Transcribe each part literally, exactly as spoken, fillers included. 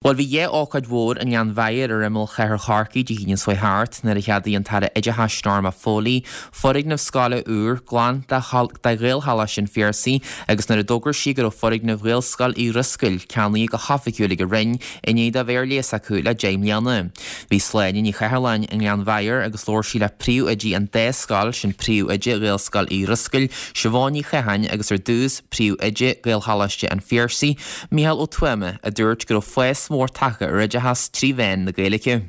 Bhuel bhí dhá ócáid mhór i nGleann Mheidhir ar imeall chathair Chorcaí Dé hAoine seo thart nuair a cheadaigh an tAire Oideachais Norma Foley foirgneamh scoile úr glan de Ghaelcholáiste an Phiarsaigh agus nuair a d'fhógair sí go raibh foirgneamh Ghaelscoil Uí Dhrisceoil ceannaithe go hoifigiúil ag an Roinn i ndiaidh dó bheith ar léas acu le deich mbliana. Bhí Sláine Ní Chathalláin i nGleann Mheidhir agus labhair sí le príomhoidí an dá scoil sin príomhoide Ghaelscoil Uí Dhrisceoil, Siobhán Ní Chatháin agus ar dtús príomhoide Ghaelcholáiste an Phiarsaigh, Micheál Ó Tuama a dúirt go raibh fás mór tagtha ar oideachas trí mheán na Gaeilge.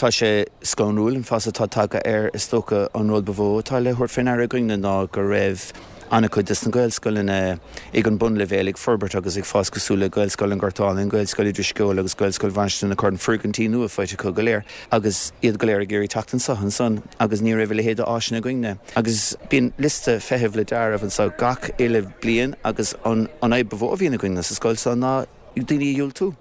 Tá sé scanrúil an fás atá tagtha air is dócha an rud ba mhó atá le thabhairt faoi deara againne ná go raibh an-chuid de na Gaelscoileanna ag an bunleibhéal ag forbairt agus ag fás cosúil le Gaelscoil an Ghoirt Álainn, Gaelscoil Uí Drisceoil agus Gaelscoil Mhainistir na Corann foirgintí nua faighte acu go léir agus iad go léir ag iarraidh teacht anseo ansan agus ní raibh a leithéid d'áiseanna againne. Agus bíonn liosta feithimh le dearadh anseo gach uile bliain agus an an fhadhb ba mhó a bhíonn againne sa scoil seo ná daoine a dhiúltú.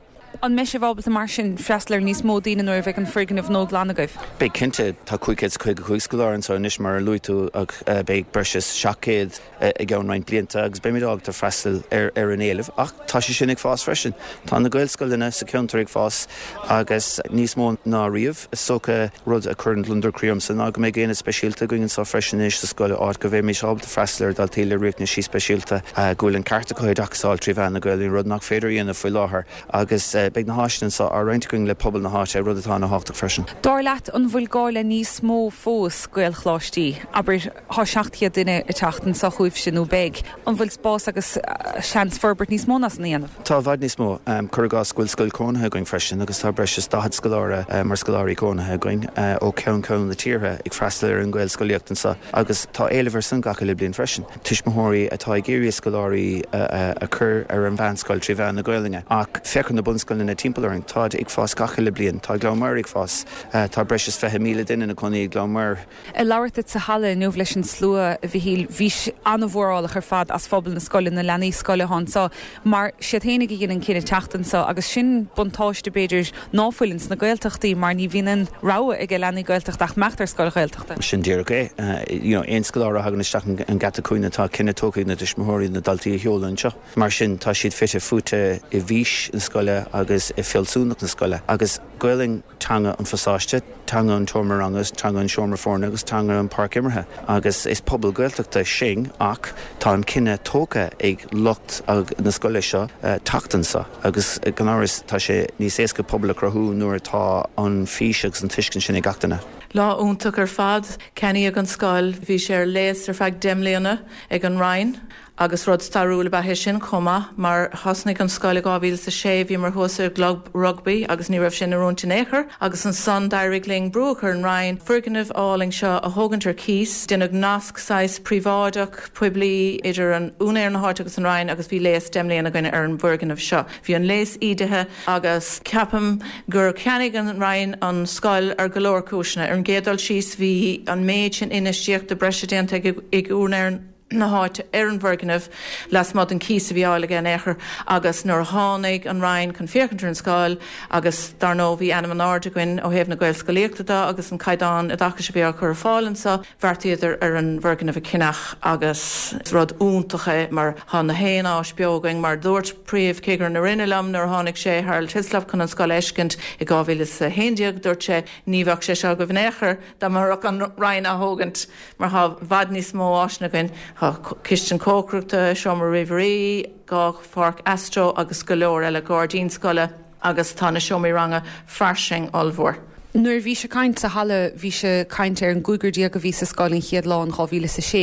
An mbeidh sibh ábalta mar sin freastal ar níos mó daoine nuair a bheidh an foirgneamh nua glan agaibh? Beidh cinnte tá cúig chéad caoga cúig scoláire anseo anois mar a luaigh tú ach beidh breis is seacht gcéad i gceann roinnt blianta agus beimid ábalta freastal ar ar an éileamh ach tá sé sin ag fás freisin. Tá na Gaelscoileanna sa cheantar ag fás agus níos mó ná riamh is dócha rud a chuireann gliondar croí ormsa ná go mbeidh aonad speisialta againn anseo freisin anois sa scoil áit go mbeimid ábalta freastal ar daltaí le riachtanaisí speisialta go bhfuil an ceart acu oideachas a fháil trí mheán na Gaeilge rud nach féidir a dhéanamh faoi láthair agus beidh na háiseanna anseo á roinnt againn le pobal na háite rud atá an-tábhachtach freisin. Dar leat an bhfuil gá le níos mó fós Gaelcholáistí, abair tá seacht gcéad duine ag teacht anseo chugaibhse nó beidh, an bhfuil spás agus seans forbairt níos mó ná san a dhéanamh? Tá i bhfad níos mó. Cuir i gcás go bhfuil scoil cónaithe againn freisin agus tá breis is daichead scoláire mar scoláirí cónaithe againn ó cheann ceann na tíre ag freastal ar an Ghaelscolaíocht anseo agus tá éileamh ar san gach uile bliain freisin. Tuismitheoirí atá ag iarraidh scoláirí a chur ar an mheánscoil trí mheán na Gaelainne ach féach ar na bunscoileanna timpeall orainn táid ag fás gach uile bliain, Tá Gleann Maghair ag fás, tá breis is fiche míle duine ina gcónaí i Gleann Maghair. Ag labhairt duit sa halla inniu leis an slua a Mhichíl, bhís an-mhórálach ar fad as phobal na scoile, na leanaí scoile atá anseo, mar siad féinig a dhein an cinneadh teacht anseo agus sin buntáiste b'fhéidir ná fuil ins na Gaeltachtaí mar ní bhíonn an rogha ag leanaí Gaeltachta ach imeacht ar scoil Ghaeltachta. Sin díreach é. You know, aon scoláire a thagann isteach an geata cúinne tá cinneadh tógtha ag na tuismitheoirí na daltaí a sheoladh anseo. Mar sin tá siad fite fuaite i bhfís na scoile agus i bhfealsúnacht na scoile. Agus Gaelainn teanga an phasáiste, teanga an tseomra ranga, teanga an seomra foirne agus teanga an pháirc imeartha. Agus is pobal Gaeltachta sinn ach tá an cinneadh tógtha ag lucht na scoile seo teacht anseo agus gan amhras tá sé níos éasca pobal a chruthú nuair atá an fís agus an tuiscint sin ag gach duine. Lá iontach ar fad ceannaíodh an scoil, bhí sé ar léas ar feadh deich mbliana ag an Roinn agus rud stairiúil ab ea é sin chomh maith mar thosnaigh an scoil i dhá mhíle is a sé bhíomar thuas i gclub rugbaí agus ní raibh sin in oiriúint in aon chor agus ansan d'éirigh linn brú a chur ar an Roinn foirgneamh álainn seo a thógaint ar cíos déanadh nasc saghas príobháideach poiblí idir an úinéir na háite agus an Roinn agus bhí léas deich mbliana againn ar an bhfoirgneamh seo. Bhí an léas ídithe agus ceapaim gur cheannaigh an Roinn an scoil ar go leor cúiseanna. Ar an gcéad dul síos bhí an méid sin infheistíochta breise déanta ag ag úinéir na háite ar an bhfoirgneamh lasmuigh den cíos a bhí á fháil aige in aon chor agus nuair a tháinig an Roinn chun féachaint ar an scoil agus dar ndóigh bhí ainm an-ard againn ó thaobh na Gaelscolaíochta de agus an caighdeán oideachais a bhí á chur ar fáil anseo bheartaíodar ar an bhfoirgneamh a cheannach agus rud iontach é mar tá na haon áis beo againn mar dúirt príomhchigire na Roinne liom nuair a tháinig sé Harold Hislop chun an scoil a fheiscint i dhá mhíle is a haon déag dúirt sé ní bheadh sé seo agaibh in aon chor dá mbeadh an Roinn á thógaint mar tá i bhfad níos mó áiseanna againn Tá cistin cócaireachta, seomra ríomhairí, dhá pháirc astro agus go leor eile gairdín scoile agus tá na seomraí ranga fairsing ollmhór. Nuair a bhís ag caint sa halla bhís ag caint ar an gcúigear déag a bhí sa scoil an chéad lá in dhá mhíle is a sé.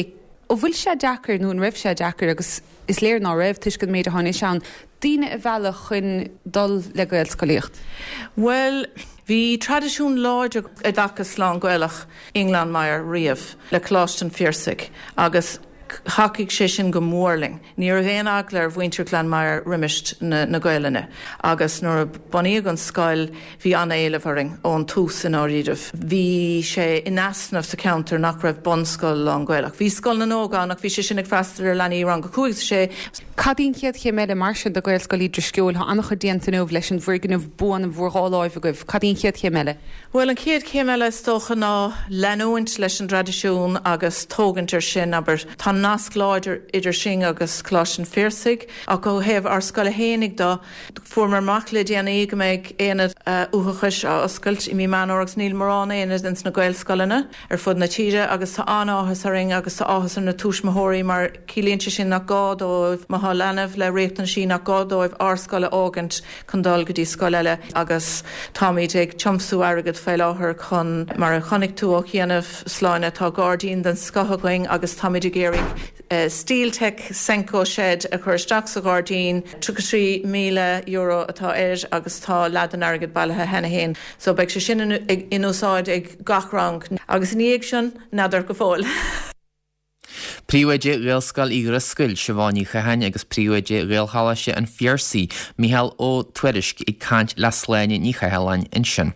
An bhfuil sé deacair nó an raibh sé deacair agus is léir ná raibh toisc an méid atá anois ann, daoine a mhealladh chun dul le Gaelscolaíocht? Bhuel, bhí traidisiún láidir oideachas lán-Ghaelach i nGleann Maghair riamh le Coláiste an Phiarsaigh agus thacaigh sé sin go mór linn. Ní raibh aon eagla ar mhuintir Ghleann Maghair roimis na na Gaelainne agus nuair a bunaíodh an scoil bhí an-éileamh orainn ón tús i ndáiríribh. Bhí sé in easnamh sa cheantar nach raibh bunscoil lán-Ghaelach. Bhí Scoil na nÓg ann ach bhí sé sin ag freastal ar leanaí rang a cúig is a sé. Cad í an chéad chéim eile mar sin do Ghaelscoil Uí Drisceoil? Tá an-chuid déanta inniu leis an bhfoirgneamh buan in bhur dhá láimh agaibh. Cad í an chéad chéim eile? Bhuel, an chéad chéim eile is dócha ná leanúint leis an dtraidisiún agus tógaint ar sin, abair. Tá nasc láidir idir sinn agus Coláiste an Phiarsaigh ach ó thaobh ár scoile fhéinig de fuaireamar amach le déanaí go mbeidh aonad uathachais á oscailt i mí Meán Fómhair agus níl mórán aonad ins na Gaelscoileanna ar fud na tíre agus tá an-áthas orainn agus tá áthas ar na tuismitheoirí mar ciallaíonn sé sin nach gá dóibh má tá leanbh le riachtanaisí nach gá dóibh ár scoil a fhágaint chun dul go dtí scoil eile agus táimid ag tiomsú airgead faoi láthair chun mar a chonaic tú ó chianaibh Sláine tá gairdín den scoth againn agus táimid ag iarraidh Steeltec Senco shed a chur isteach sa ghairdín tríocha trí míle euro atá air agus tá leath den airgead bailithe cheana féin so beidh sé sin in úsáid ag gach rang agus ina dhiaidh sin n'fheadar go fóill. Príomhoide Ghaelscoil Uí Dhrisceoil Siobhán Ní Chatháin agus Príomhoide Ghaelcholáiste an Phiarsaigh Mícheál Ó Tuairisg ag caint le Sláine Ní Chathalláin ansin.